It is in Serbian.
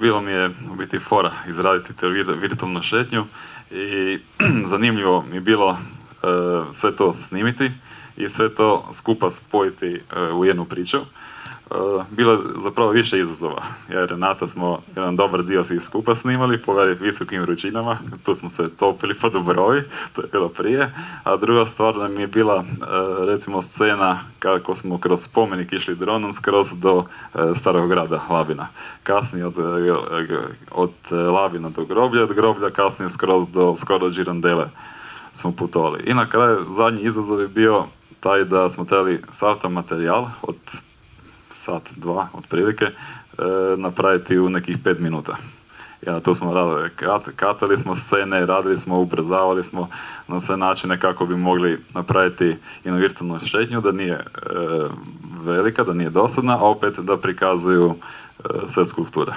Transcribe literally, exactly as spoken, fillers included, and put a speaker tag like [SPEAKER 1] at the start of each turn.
[SPEAKER 1] bilo mi je u biti fora izraditi te virtualnu šetnju i zanimljivo mi je bilo sve to snimiti i sve to skupa spojiti u jednu priču. Bilo je zapravo više izazova, jer Renata smo jedan dobar dio svi skupa snimali po visokim vrućinama, tu smo se topili po Dubrovi, to je bilo prije, a druga stvar nam je bila recimo scena kako smo kroz spomenik išli dronom skroz do starog grada Labina. Kasnije od, od Labina do groblja, od groblja kasnije skroz do skoro Girondele smo putovali. I na kraju zadnji izazov je bio taj da smo trebali sav taj materijal od sat, dva, otprilike, e, napraviti u nekih pet minuta. Ja, to smo radili, kat, katali smo scene, radili smo, ubrzavali smo na sve načine kako bi mogli napraviti jednu virtualnu šetnju, da nije e, velika, da nije dosadna, a opet da prikazuju e, sve skulpture.